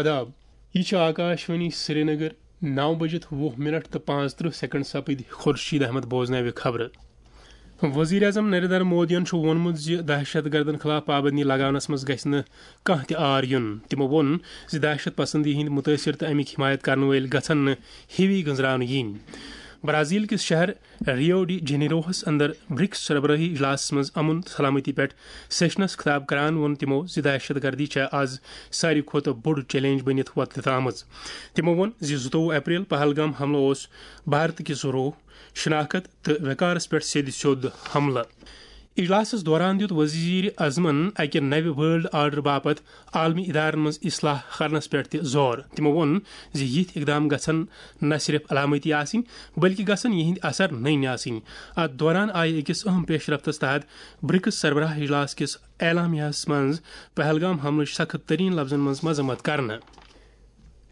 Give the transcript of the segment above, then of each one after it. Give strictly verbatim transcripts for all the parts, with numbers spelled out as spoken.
آداب، یہِ چھِ آکاشوانی سرینگر۔ نو بجِتھ وُہ منٹ تہٕ پانٛژترٕہ سیکنڈ سپٕدۍ۔ خورشید احمد بوزناوِ خبرٕ۔ وزیر اعظم نریندر مودیَن چھُ ووٚنمُت زِ دہشت گردن خلاف پابندی لگاونس منٛز گژھِ نہٕ کانٛہہ تہِ عار یُن۔ تِمو ووٚن زِ دہشت پسندی ہٕنٛدۍ مُتٲثر تہٕ اَمِکۍ حمایت کرن وٲلۍ گژھن نہٕ ہِوی گٔنزراونہٕ یِنۍ۔ برازیل کِس شہر ریو ڈی جنیروہس اندر برکس سربراہی اجلاسس منٛز امن تہٕ سلامتی پٮ۪ٹھ سیشنس خطاب کران ووٚن تِمو زِ دہشت گردی چھےٚ از ساروی کھۄتہٕ بوٚڑ چیلنج بٔنِتھ وۄتلِتھ آمٕژ۔ تِمو ووٚن زِ زٕتووُہ اپریل پہلگام حملہٕ اوس بھارت کِس روح، شناخت تہٕ وقارس پٮ۪ٹھ سیٚدِ سیوٚد حملہٕ۔ اجلاسس دوران دیُت وزیر اعظمن اکہِ نوِ ورلڈ آرڈر باپتھ عالمی ادارن منٛز اصلاح کرنس پٮ۪ٹھ تہِ زور۔ تِمو ووٚن زِ یِتھۍ اقدام گژھن نہ صرف علامتی آسٕنۍ، بلکہِ گژھن یِہنٛدۍ اثر نٔنۍ آسٕنۍ۔ اتھ دوران آیہِ أکِس اہم پیش رفتس تحت برکس سربراہ اجلاس کِس اعلامیہس منٛز پہلگام حملٕچ سخت ترین لفظن منٛز مذمت کرنہٕ۔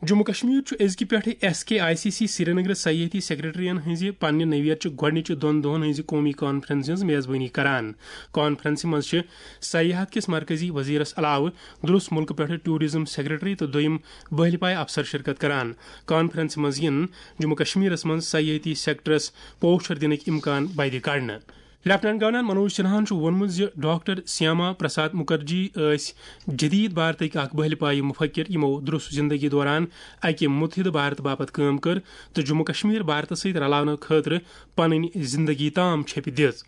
جموں کشمیر چھُ أزکہِ پٮ۪ٹھٕ S K I C C سرینگرٕ سیاحتی سیکرٹریَن ہٕنٛزِ پننہِ نوعیت چہِ گۄڈٕنِچہِ دۄن دۄہَن ہٕنٛزِ قومی کانفرنسہِ ہٕنٛز میزبٲنی کران۔ کانفرنسہِ منٛز چھِ سیاحت کِس مرکزی وزیرس علاوٕ درس مُلکہٕ پٮ۪ٹھٕ ٹورازم سیکرٹری تہٕ دوٚیِم بہلہِ پایہِ افسر شرکت کران۔ کانفرنسہِ منٛز یِن جموں کشمیرس منٛز سیاحتی سیکٹرس پوچھر دِنٕکۍ امکان بدِ کڑنہٕ۔ لیفٹیننٹ گورنر منوج سنہاہن چھُ ووٚنمُت زِ ڈاکٹر سیاما پرساد مکرجی ٲسۍ جدید بھارتٕکۍ اکھ بہلہِ پایہِ مفکر، یِمو درس زندگی دوران اکہِ متحدٕ بھارت باپتھ کٲم کٔر تہٕ جموں کشمیر بھارتس سۭتۍ رلاونہٕ خٲطرٕ پنٕنۍ زندگی تام چھیپہِ دِژ۔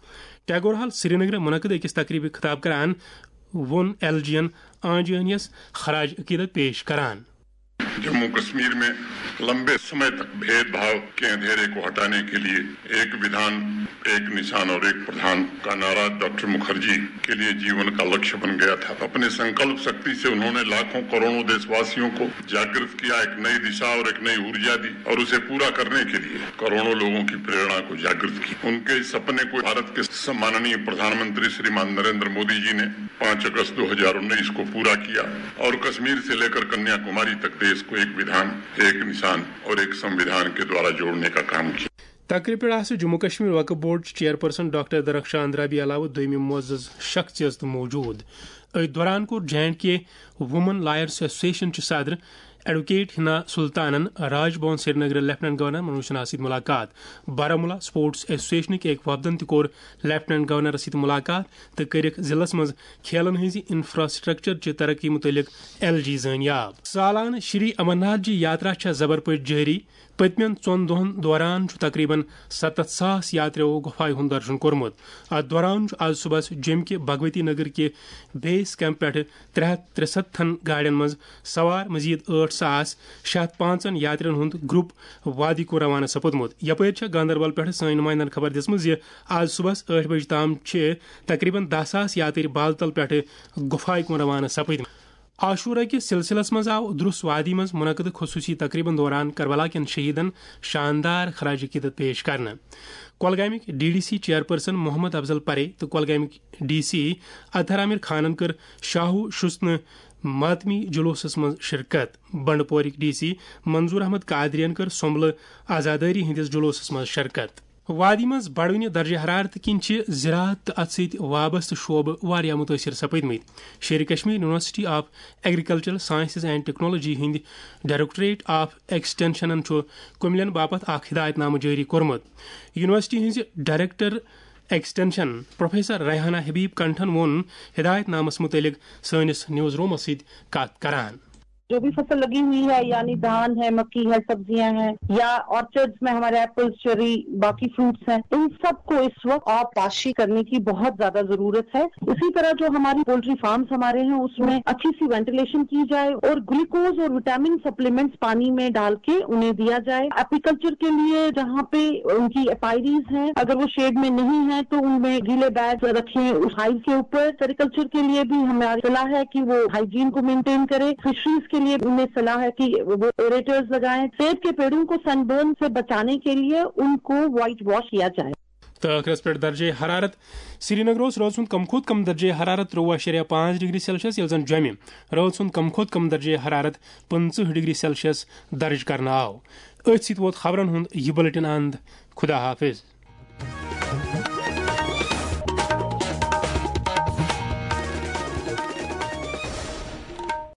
ٹیگور ہال سرینگرٕ منعقد أکِس تقریبہِ خطاب کران ووٚن ایل جی ین آنجہنیس خراج عقیدت پیش کران۔ जम्मू कश्मीर में लंबे समय तक भेदभाव के अंधेरे को हटाने के लिए एक विधान, एक निशान और एक प्रधान का नारा डॉक्टर मुखर्जी के लिए जीवन का लक्ष्य बन गया था। अपने संकल्प शक्ति से उन्होंने लाखों करोड़ों देशवासियों को जागृत किया, एक नई दिशा और एक नई ऊर्जा दी और उसे पूरा करने के लिए करोड़ों लोगों की प्रेरणा को जागृत किया। उनके इस सपने को भारत के सम्माननीय प्रधानमंत्री श्रीमान नरेंद्र मोदी जी ने पाँच अगस्त दो हज़ार उन्नीस को पूरा किया और कश्मीर से लेकर कन्याकुमारी तक देश को एक विधान, एक निशान और एक संविधान के द्वारा जोड़ने का काम किया। تقریبہِ پٮ۪ٹھ آسہٕ جموں کشمیر وقف board chairperson doctor Darakhshan Andrabi علاوٕ دوٚیمہِ معزز شخصیژ تہٕ موجود۔ أتھۍ دوران کوٚر J and K women lawyers association چہِ صدر ایڈوکیٹ حنا سلطانن راج بھون سرینگرٕ لیفٹیننٹ گورنر منوج سنہاہس سۭتۍ ملاقات۔ بارہمولہ سپورٹس ایسوسیشنٕکۍ أکۍ وفدن تہِ کوٚر لیفٹیننٹ گورنرس سۭتۍ ملاقات تہٕ کٔرِکھ ضلعس منٛز کھیلن ہٕنٛزِ انفراسٹرکچر چہِ ترقی متعلق ایل جی زٲنیاب۔ سالانہٕ شری امرناتھ جی یاترا چھےٚ زبر پٲٹھۍ جٲری۔ پٔتمٮ۪ن ژۄن دۄہن دوران چھُ تقریباً ستتھ ساس یاتریو گۄپھایہِ ہُنٛد درشن کوٚرمُت۔ اتھ دوران چھُ آز صبحس جوٚمہِ کہِ بھگوتی نگر کہِ بیس کیمپ پٮ۪ٹھٕ ترٛےٚ ہتھ ترٛسَتتھن گاڑٮ۪ن منٛز سوار مزید ٲٹھ ساس شےٚ ہتھ پانٛژن یاترین ہُنٛد گروپ وادی کُن روانہٕ سپُدمُت۔ یپٲرۍ چھےٚ گاندربل پٮ۪ٹھٕ سٲنۍ نمائندن خبر دِژمٕژ زِ آز صبحس ٲٹھ بجہِ تام چھِ تقریباً دَہ ساس یاترۍ بالتل پٮ۪ٹھٕ گۄپھایہِ کُن روانہٕ سپٕدمٕتۍ۔ عاشورہ کِس سلسلس منٛز آو درس وادی منٛز منعقد خصوصی تقریبن دوران کربلا کٮ۪ن شہیدن شاندار خراج عقیدت پیش کرنہٕ۔ کۄلگامٕکۍ D D C chairperson Mohammad Afzal Parray تہٕ کۄلگامٕکۍ ڈی سی اطہر عامر خانن کٔر شاہو شُستنہٕ ماتمی جلوسس منٛز شرکت۔ بنڈپورٕکۍ ڈی سی منظور احمد قادرین کٔر سمبلہٕ عزادٲری ہٕنٛدِس جلوسس منٛز شرکت۔ وادی منٛز بڑوٕنہِ درجہ حرارت کِنۍ چھِ زراعت تہٕ اتھ سۭتۍ وابستہٕ شعبہٕ واریاہ متٲثر سپدمٕتۍ۔ Sher-e Kashmir university of agricultural sciences and technology ہٕنٛدۍ ڈائریکٹوریٹ آف ایکسٹینشنن چھُ کُملین باپتھ اکھ ہدایت نامہٕ جٲری کوٚرمُت۔ یونیورسٹی ہٕنٛزِ ڈائریکٹر ایکسٹینشن پروفیسر ریحانہ حبیب کنٹھن ووٚن ہدایت نامس متعلق سٲنِس نیوز رومس سۭتۍ کتھ کران۔ جو بھی فصل لگی ہوئی ہے، یعنی دھان ہے، مکئی ہے، سبزیاں ہیں، یا آرچرڈز میں ہمارے ایپلز، چیری، باقی فروٹس ہیں، ان سب کو اس وقت آبپاشی کرنے کی بہت زیادہ ضرورت ہے۔ اسی طرح جو ہماری پولٹری فارمز ہمارے ہیں، اس میں اچھی سی وینٹیلیشن کی جائے اور گلوکوز اور وٹامن سپلیمنٹس پانی میں ڈال کے انہیں دیا جائے۔ ایپیکلچر کے لیے جہاں پہ ان کی ایپائریز ہیں، اگر وہ شیڈ میں نہیں ہے تو ان میں گیلے بیگ رکھیں ہائیو کے اوپر۔ سیریکلچر کے لیے بھی ہماری صلاح ہے کہ وہ ہائیجین کو مینٹین کریں۔ فشریز کے لیے انہیں صلاح ہے کہ وہ ایریٹرز لگائیں۔ سیب کے پیڑوں کو سن برن سے بچانے کے لیے ان کو وائٹ واش کیا جائے۔ تہٕ ٲخرس پٮ۪ٹھ درجے حرارت۔ سرینگر اوس رٲژ ہُنٛد کم کھۄتہٕ کم درجے حرارت ترٛوُہ اَشاریہ پانٛژھ ڈگری سیلسیس، ییٚلہِ زن جوٚمہِ رٲژ ہُنٛد کم کھۄتہٕ کم درجے حرارت پٕنٛژٕہ ڈگری سیلسیس درج کرنہٕ آو۔ أتھۍ سۭتۍ ووت خبرن ہُنٛد یہِ بلیٹن اند۔ خدا حافظ۔